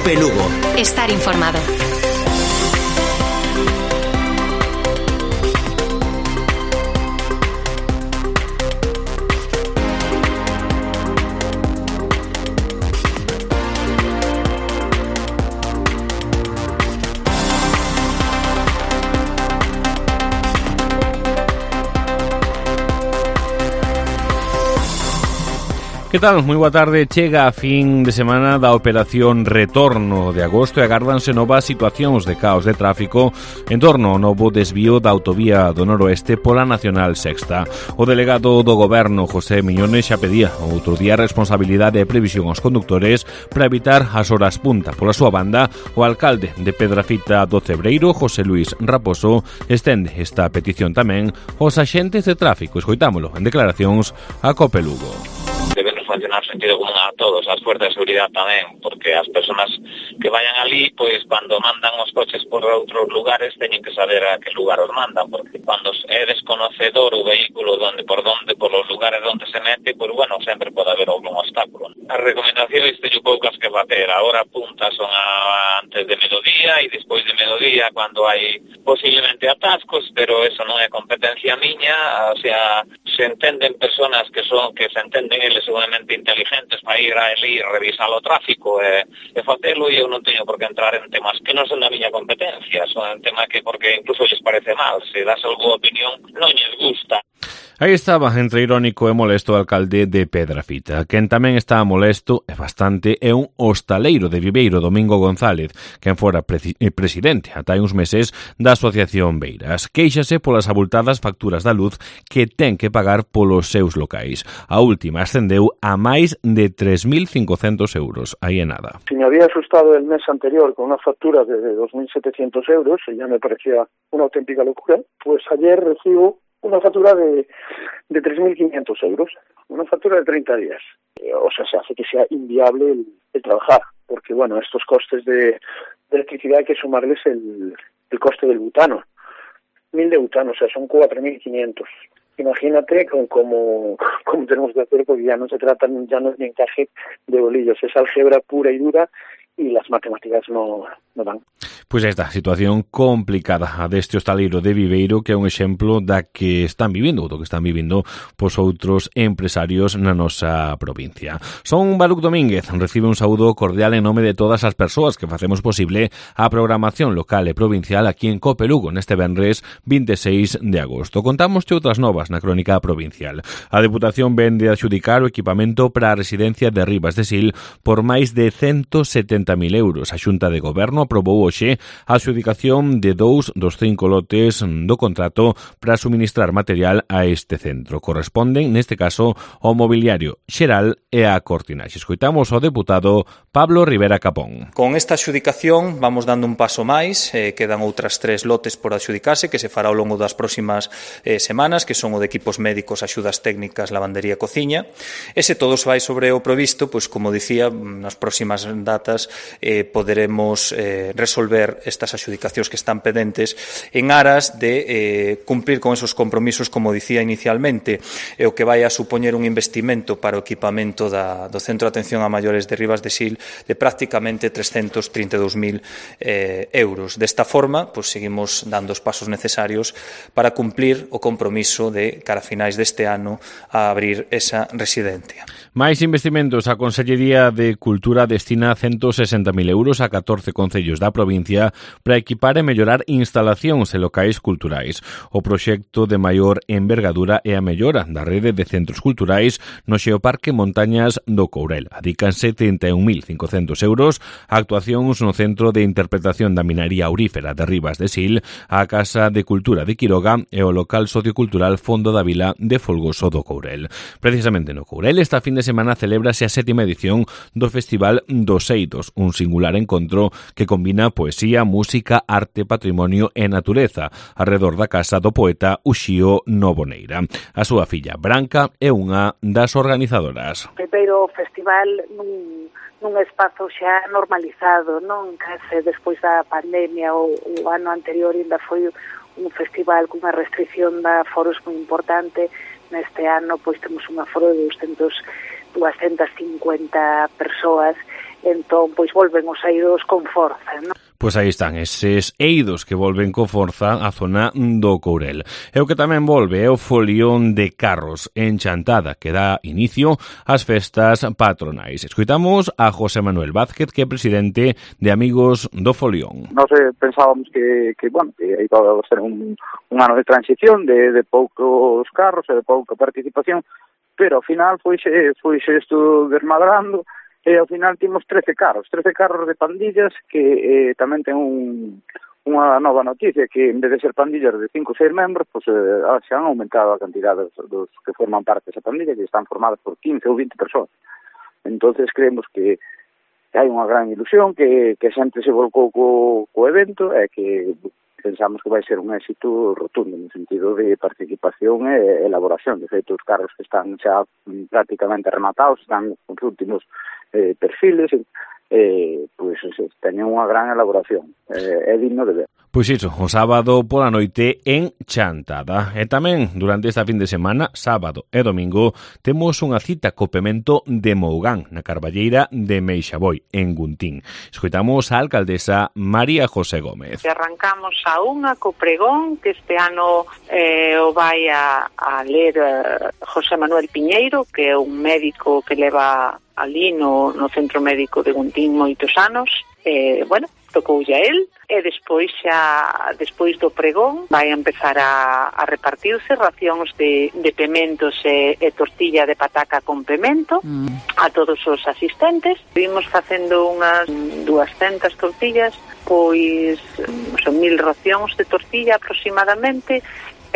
Cope Lugo. Estar informado. Que tal? Moi boa tarde. Chega a fin de semana da operación Retorno de agosto e agárdanse novas situacións de caos de tráfico en torno ao novo desvío da autovía do noroeste pola Nacional Sexta. O delegado do Goberno, José Miñones, xa pedía outro día responsabilidade e previsión aos conductores para evitar as horas punta. Pola súa banda, o alcalde de Pedrafita do Cebreiro, José Luis Raposo, estende esta petición tamén aos axentes de tráfico. Escoitámolo en declaracións a Cope Lugo. Funcionar sentido común a todos, as fuerzas de seguridade tamén, porque as persoas que vayan ali, pois cando mandan os coches por outros lugares teñen que saber a que lugar os mandan, porque cando é desconocedor o vehículo por los lugares onde se mete, pois bueno, sempre pode haber algún obstáculo. As recomendacións teño poucas que bater, a hora punta son antes de mediodía e despois de mediodía cando hai posiblemente atascos, pero eso non é competencia miña, o sea, se entenden personas que se entenden eles seguramente inteligentes para ir ali e revisar o tráfico e facelo, e eu non teño por que entrar en temas que non son da miña competencia, son en tema que porque incluso lles parece mal, se das algunha opinión non lles gusta. Aí estaba, entre irónico e molesto, o alcalde de Pedrafita. Quen tamén está molesto, e bastante, é un hostaleiro de Viveiro, Domingo González, quen fora presidente ata hai uns meses da Asociación Beiras. Quéixase polas abultadas facturas da luz que ten que pagar polos seus locais. A última ascendeu a máis de 3.500 euros. Aí é nada. Si me había asustado el mes anterior con una factura de 2.700 euros, y ya me parecía una auténtica locura, pues ayer recibo una factura de 3.500 euros, una factura de 30 días. O sea, se hace que sea inviable el trabajar, porque bueno, estos costes de electricidad hay que sumarles el coste del butano. 1.000 de butano, o sea, son 4.500. Imagínate cómo tenemos que hacer, porque ya no es ni encaje de bolillos, es álgebra pura y dura, y las matemáticas no dan. Pois esta situación complicada a deste hostaleiro de Viveiro, que é un exemplo da que están vivindo, ou do que están vivindo pos outros empresarios na nosa provincia. Son Baruc Domínguez, recibe un saúdo cordial en nome de todas as persoas que facemos posible a programación local e provincial aquí en Cope Lugo neste venres 26 de agosto. Contamos outras novas na crónica provincial. A Deputación vende a adxudicar o equipamento para a residencia de Ribas de Sil por máis de 170.000 euros. A Xunta de Goberno aprobou hoxe a adxudicación de 2 dos 5 lotes do contrato para suministrar material a este centro. Corresponden, neste caso, ao mobiliario xeral e a cortinaxe. Escoitamos ao deputado Pablo Rivera Capón. Con esta adxudicación vamos dando un paso máis, quedan outras 3 lotes por adxudicarse que se fará ao longo das próximas semanas, que son o de equipos médicos, axudas técnicas, lavandería e cociña. E se todo se vai sobre o provisto, pois como dicía, nas próximas datas poderemos resolver estas adxudicacións que están pendentes en aras de cumprir con esos compromisos, como dicía inicialmente, o que vai a supoñer un investimento para o equipamento do Centro de Atención a Maiores de Ribas de Sil de prácticamente 332.000 euros. Desta forma, pues, seguimos dando os pasos necesarios para cumplir o compromiso de cara a finais deste ano a abrir esa residencia. Máis investimentos. A Consellería de Cultura destina 160.000 euros a 14 concellos da provincia para equipar e mellorar instalacións e locais culturais. O proxecto de maior envergadura é a mellora da rede de centros culturais no Xeoparque Montañas do Courel. Adícanse 31.500 euros a actuacións no Centro de Interpretación da Minería Aurífera de Ribas de Sil, a Casa de Cultura de Quiroga e o local sociocultural Fondo da Vila de Folgoso do Courel. Precisamente no Courel, esta fin de semana celébrase a 7ª edición do Festival dos Eidos, un singular encontro que combina poesía, música, arte, patrimonio e natureza arredor da casa do poeta Uxío Novoneira. A súa filla Branca é unha das organizadoras. Primeiro festival nun espazo xa normalizado, non? Case despois da pandemia, o ano anterior ainda foi un festival cunha restricción de aforos moi importante. Neste ano pois temos un aforo de 250 persoas entón pois volven os eidos con forza, non? Pois aí están eses eidos que volven co forza á zona do Courel. E o que tamén volve é o folión de carros en Chantada, que dá inicio ás festas patronais. Escoitamos a José Manuel Vázquez, que é presidente de Amigos do Folión. Nós pensábamos que iba a ser un ano de transición, de poucos carros e de pouca participación, pero ao final foise isto desmadrando. E ao final timos 13 carros de pandillas que tamén ten unha nova noticia, que en vez de ser pandillas de 5 ou 6 membros, pues, se han aumentado a cantidad dos que forman parte desa pandilla, que están formadas por 15 ou 20 persoas. Entonces creemos que hai unha gran ilusión, que a xente se volcou co evento e que pensamos que vai ser un éxito rotundo no sentido de participación e elaboración. De feito, os carros que están xa prácticamente rematados, están os últimos perfiles, pois teñen unha gran elaboración. É digno de ver. Pois iso, o sábado pola noite en Chantada. E tamén, durante esta fin de semana, sábado e domingo, temos unha cita co pemento de Mougán, na Carballeira de Meixaboi, en Guntín. Escoitamos a alcaldesa María José Gómez. Arrancamos a unha co pregón, que este ano o vai a ler José Manuel Piñeiro, que é un médico que leva ali no Centro Médico de Guntín moitos anos. Tocoulle a él, e despois do pregón vai empezar a repartirse racións de pementos e tortilla de pataca con pemento a todos os asistentes. Vimos facendo unhas 200 tortillas, pois son 1000 racións de tortilla aproximadamente,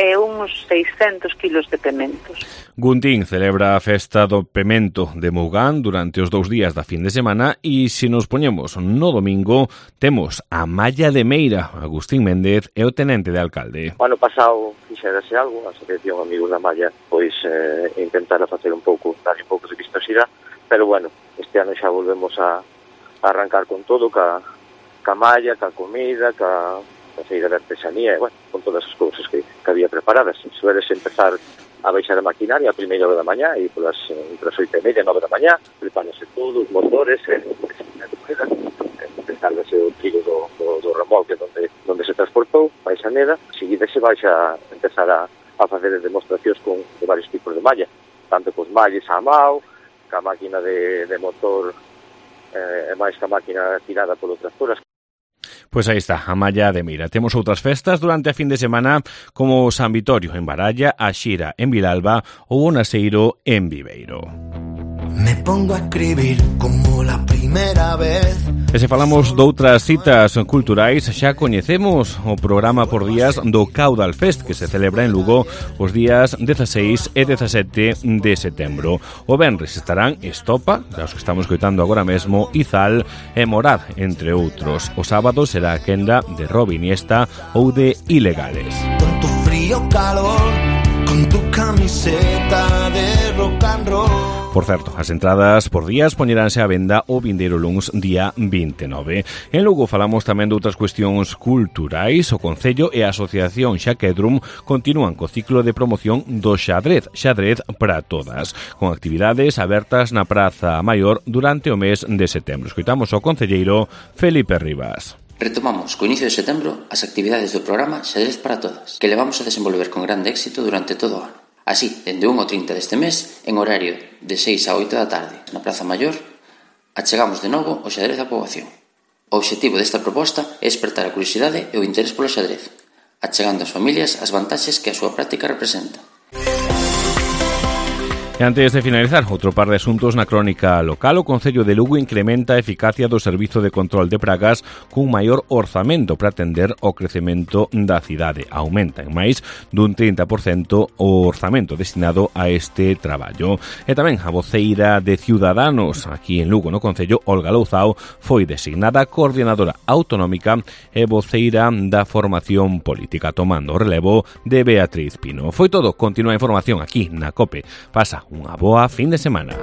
e uns 600 kilos de pementos. Guntín celebra a festa do pemento de Mougán durante os 2 días da fin de semana e se nos poñemos no domingo temos a Malla de Meira, Agustín Méndez e o tenente de alcalde. O ano pasado fixérase algo, a Asociación Amigos da Malla pois intentara facer un pouco, darlle un pouco de vistosidade, pero bueno, este ano xa volvemos a arrancar con todo, ca malla, ca comida, ca feira de artesanía, con todas as cousas que había preparadas. Sueles empezar a baixar a maquinaria a primeira hora da mañá e polas entre as 8:30 e 9 da mañá, prepárase todo, os motores, descárgase o trillo do remolque donde se transportou, vais a neda, seguida se vais a empezar a facer demostracións de varios tipos de malla, tanto cos malles a mao, ca máquina de motor e máis ca máquina tirada polo tractor. Pois aí está, a Malla de Meira. Temos outras festas durante a fin de semana como San Vitorio en Baralla, a Xira en Vilalba ou o Naseiro en Viveiro. Me pongo a escribir como la primera vez. E se falamos doutras citas culturais, xa coñecemos o programa por días do Caudal Fest, que se celebra en Lugo os días 16 e 17 de setembro. O venres estarán Estopa, os que estamos coitando agora mesmo, Izal e Morad, entre outros. O sábado será a quenda de Robi Iniesta ou de Ilegales. Con tu frío calor, con tu camiseta de rock and roll. Por certo, as entradas por días poñeránse á venda o vindeiro luns día 29. En Lugo falamos tamén de outras cuestións culturais. O Concello e a Asociación Xaquedrum continúan co ciclo de promoción do xadrez para todas, con actividades abertas na Praza Maior durante o mes de setembro. Escoitamos ao concelleiro Felipe Rivas. Retomamos co inicio de setembro as actividades do programa Xadrez para Todas, que levamos a desenvolver con grande éxito durante todo o ano. Así, dende 1 ao 30 deste mes, en horario de 6 a 8 da tarde, na Praza Maior, achegamos de novo o xadrez á poboación. O obxectivo desta proposta é despertar a curiosidade e o interés polo xadrez, achegando ás familias as vantaxes que a súa práctica representa. E antes de finalizar, outro par de asuntos na crónica local. O Concello de Lugo incrementa a eficacia do Servizo de Control de Pragas cun maior orzamento para atender o crecemento da cidade. Aumenta en máis dun 30% o orzamento destinado a este traballo. E tamén a voceira de Ciudadanos aquí en Lugo, no Concello, Olga Louzao, foi designada coordinadora autonómica e voceira da formación política, tomando o relevo de Beatriz Pino. Foi todo. Continúa a información aquí na COPE. Pasa unha boa fin de semana.